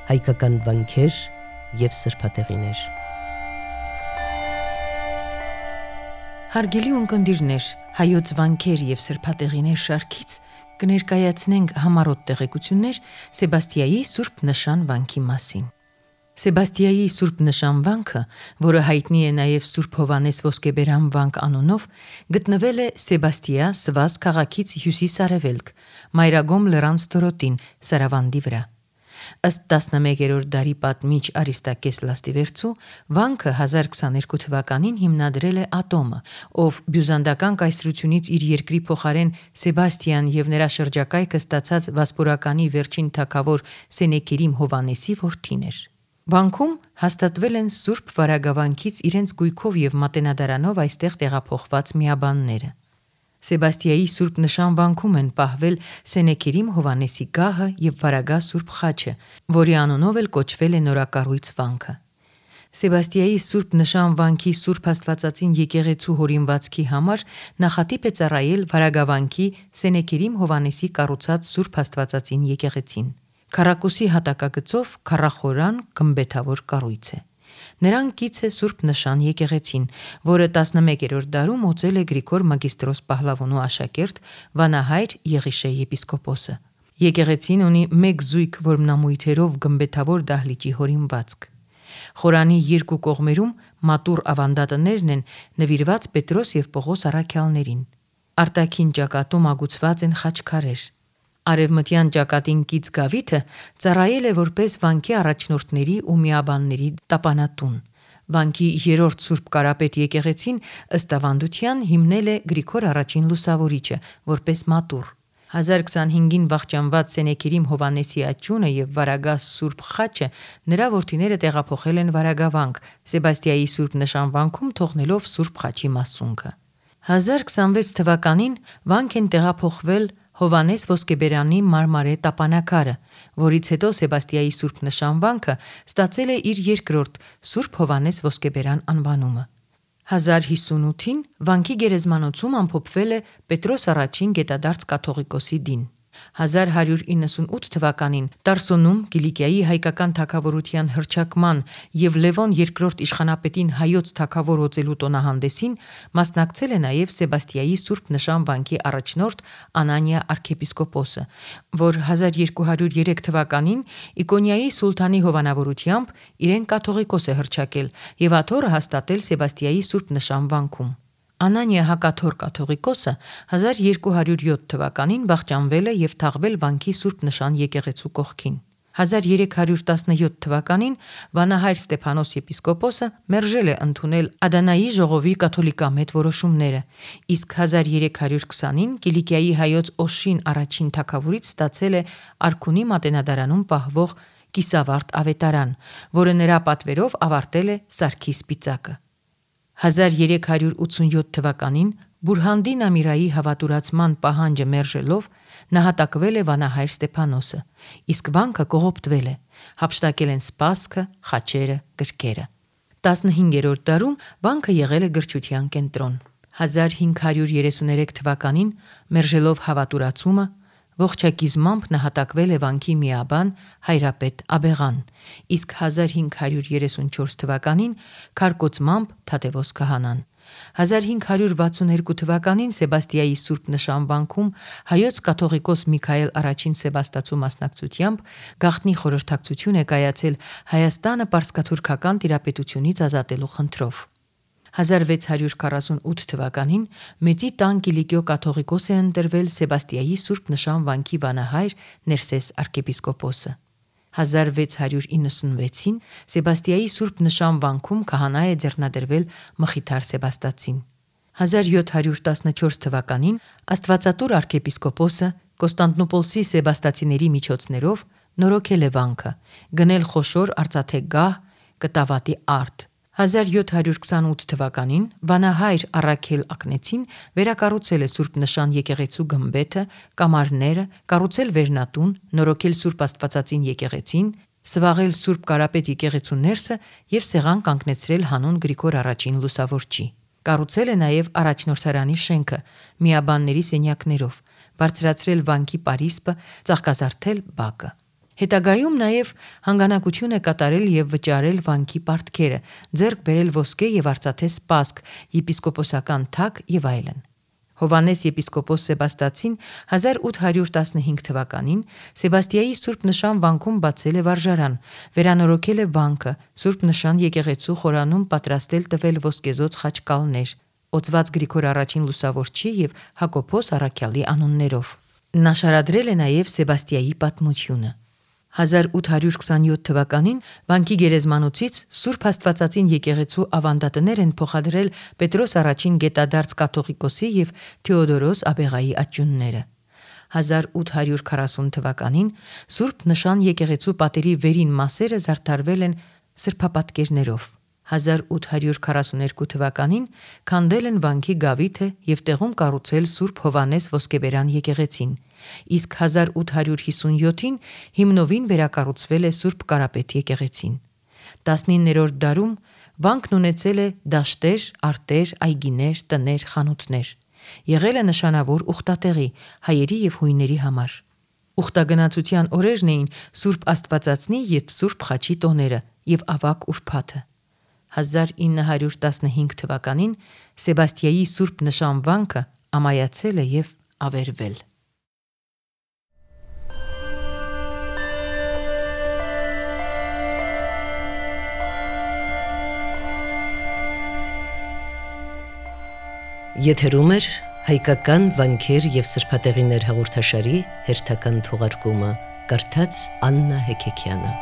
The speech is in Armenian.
հայկական վանքեր և սրբատեղիներ։ Հարգելի ունկնդիրներ, հայոց վանքեր և սրբատեղիներ շարքից կներկայացնենք համառոտ տեղեկություններ Սեբաստիայի Սուրբ Նշան վանքի մասին։ Սեբաստիայի Սուրբ Նշան վանքը, որը հայտնի է նաև Սուրբ Հովհաննես Ոսկեբերան վանք անունով, գտնվել է Սեբաստիա Սվազ քաղաքից հյուսիս-արևելք, Մայրագոմ լեռան ստորոտին, Սարավանդի վրա։ Ըստ 11-րդ դարի պատմիչ Արիստակես Լաստիվերցու, վանքը 1022 թվականին հիմնադրել է Ատոմը, ով բյուզանդական կայսրությունից իր երկրի փոխարեն Սեբաստիան և նրա շրջակայքը ստացած Վասպուրականի վերջին թագավոր Սենեքերիմ Հովհաննեսի որդին էր։ Վանքում հաստատվել են Սուրբ Վարագավանքից իրենց գույքով և մատենադարանով այստեղ տեղափոխված միաբանները։ Սեբաստիայի Սուրբ Նշան վանքում են պահվել Սենեքերիմ Հովհաննեսի գահը և Վարագա Սուրբ խաչը, որի անունով էլ կոչվել է նորակառույց վանքը։ Սեբաստիայի Սուրբ Նշան վանքի Սուրբ Աստվածածին եկեղեցու հորինվածքի համար նախատիպ է ծառայել Վարագավանքի Սենեքերիմ Հովհաննեսի կառուցած Սուրբ Աստվածածին եկեղեցին։ Քառակուսի հատակագծով քառախորան գմբեթավոր կառույց է։ Նրան կից է Սուրբ Նշան եկեղեցին, որը 11-րդ դարում օծել է Գրիգոր Մագիստրոս Պահլավոնու աշակերտ վանահայր Եղիշե եպիսկոպոսը։ Եկեղեցին ունի մեկ զույգ որմնամույթերով գմբեթավոր դահլիճի հորինվածք։ Խորանի երկու կողմերում մատուռ ավանդատներն են նվիրված Պետրոս և Պողոս առաքյալներին։ Արտաքին ճակատում ագուցված են խաչքարեր։ Արևմտյան ճակատին կից գավիթը ծառայել է որպես վանքի առաջնորդների ու միաբանների տապանատուն։ Վանքի երրորդ Սուրբ Կարապետ եկեղեցին ըստ ավանդության հիմնել է Գրիգոր I Լուսավորիչը որպես մատուռ։ 1025-ին վախճանված Սենեքերիմ Հովհաննեսի աջունը և Վարագա Սուրբ խաչը նրա որդիները տեղափոխել են Վարագավանք, Սեբաստիայի Սուրբ Նշան վանքում թողնելով Սուրբ խաչի մասունքը։ 1026 թվականին վանք են տեղափոխվել Հովհաննես Ոսկեբերանի մարմարե տապանակարը, որից հետո Սեբաստիայի Սուրբ Նշան վանքը ստացել է իր երկրորդ Սուրբ Հովհաննես Ոսկեբերան անվանումը։ 1058-ին վանքի գերեզմանոցում ամփոփվել է Պետրոս I Գետադարձ կաթողիկոսի դին։ 1198 թվականին Տարսոնում Կիլիկիայի հայկական թագավորության հռչակման և Լևոն II իշխանապետին հայոց թագավոր օծելու տոնահանդեսին մասնակցել է նաև Սեբաստիայի Սուրբ Նշան վանքի առաջնորդ Անանիա arczepiskopos-ը, որ 1203 թվականին Իկոնիայի սուլթանի հովանավորությամբ իրեն կաթողիկոս է հռչակել և աթոռը հաստատել Սեբաստիայի Սուրբ Նշան վանքում։ Անանիա հակաթոռ կաթողիկոսը 1207 թվականին վախճանվել է և թաղվել վանքի Սուրբ Նշան եկեղեցու կողքին։ 1317 թվականին վանահայր Ստեփանոս եպիսկոպոսը մերժել է ընդունել Ադանայի ժողովի կաթոլիկամետ որոշումները, իսկ 1320-ին Կիլիկիայի հայոց Օշին առաջին թագավորից ստացել է Արքունի մատենադարանում պահվող կիսավարտ ավետարան, որը նրա պատվերով ավարտել է Սարգիս Սպիտակը։ 1387 թվականին Բուրհանդին Ամիրայի հավատուրացման պահանջը մերժելով նահատակվել է վանահայր Ստեփանոսը, իսկ վանքը կողոպտվել է, հափշտակել են սպասքը, խաչերը, գրքերը։ 15-րդ դարում վանքը եղել է գրչության կենտրոն։ 1533 թվականին մերժելով հավատուրացումը ողջակիզմամբ նահատակվել է վանքի միաբան Հայրապետ Աբեղան, իսկ 1534 թվականին քարկոծմամբ Թադևոս քահանան։ 1562 թվականին Սեբաստիայի Սուրբ Նշան վանքում հայոց կաթողիկոս Միքայել I Սեբաստացու մասնակցությամբ գաղտնի խորհրդակցություն է կայացել Հայաստանը պարսկաթուրքական տիրապետությունից ազատելու խնդրով։ 1648 թվականին Մեծի տան Կիլիկիո կաթողիկոս է ընտրվել Սեբաստիայի Սուրբ Նշան վանքի վանահայր Ներսես arczepiskopos-ը։ 1696-ին Սեբաստիայի Սուրբ Նշան վանքում քահանա է ձեռնադրվել Մխիթար Սեբաստացին։ 1714 թվականին Աստվածատուր arczepiskopos-ը Կոստանդնուպոլսի սեբաստացիների միջոցներով նորոգել է վանքը, գնել խոշոր արծաթե գահ, կտավատի արդ։ 1728 թվականին վանահայր Առաքել Ակնեցին վերակառուցել է Սուրբ Նշան եկեղեցու գմբեթը, կամարները, կառուցել վերնատուն, նորոգել Սուրբ Աստվածածին եկեղեցին, սվաղել Սուրբ Կարապետ եկեղեցու ներսը և սեղան կանգնեցրել հանուն Գրիգոր I Լուսավորչի։ Կառուցել է նաև առաջնորդարանի շենքը միաբանների սենյակներով, բարձրացրել վանքի պարիսպը, ծաղկազարդել բակը։ Հետագայում նաև հանգանակություն է կատարել եւ վճարել վանքի պարտքերը, ձեռք բերել ոսկե եւ արծաթե սպասք, եպիսկոպոսական թագ եւ այլն։ Հովհաննես եպիսկոպոս Սեբաստացին 1815 թվականին Սեբաստիայի Սուրբ Նշան վանքում բացել է վարժարան, վերանորոգել է վանքը, Սուրբ Նշան եկեղեցու խորանում պատրաստել տվել ոսկեզոծ խաչկալներ, օծված Գրիգոր առաջին լուսավորչի եւ Հակոբոս առաքյալի անուններով։ Նա շարադրել է նաև Սեբաստիայի պատմությունը։ 1827 թվականին վանքի գերեզմանոցից Սուրբ Աստվածածին եկեղեցու ավանդատներ են փոխադրել Պետրոս առաջին գետադարձ կաթողիկոսի եւ Թեոդորոս Աբեղայի աճյունները։ 1840 թվականին Սուրբ Նշան եկեղեցու պատերի վերին մասերը զարդարվել են սրբապատկերներով։ 1842 թվականին քանդել են վանքի գավիթը եւ տեղում կառուցել Սուրբ Հովհաննես ոսկեբերան եկեղեցին, իսկ 1857-ին հիմնովին վերակառուցվել է Սուրբ Կարապետ եկեղեցին։ 19-րդ դարում վանքն ունեցել է դաշտեր, արտեր, այգիներ, տներ, խանութներ։ Եղել է նշանավոր ուխտատեղի հայերի եւ հույների համար։ Ուխտագնացության օրերն էին Սուրբ Աստվածածնի եւ Սուրբ Խաչի տոները եւ ավագ ուրբաթը։ 1915 թվականին Սեբաստիայի Սուրբ Նշան վանքը ամայացել է եւ ավերվել։ Եթերում է հայկական վանքեր եւ սրբատեղիներ հաղորդաշարի հերթական թողարկումը, կարդաց Աննա Հեքեքյանը։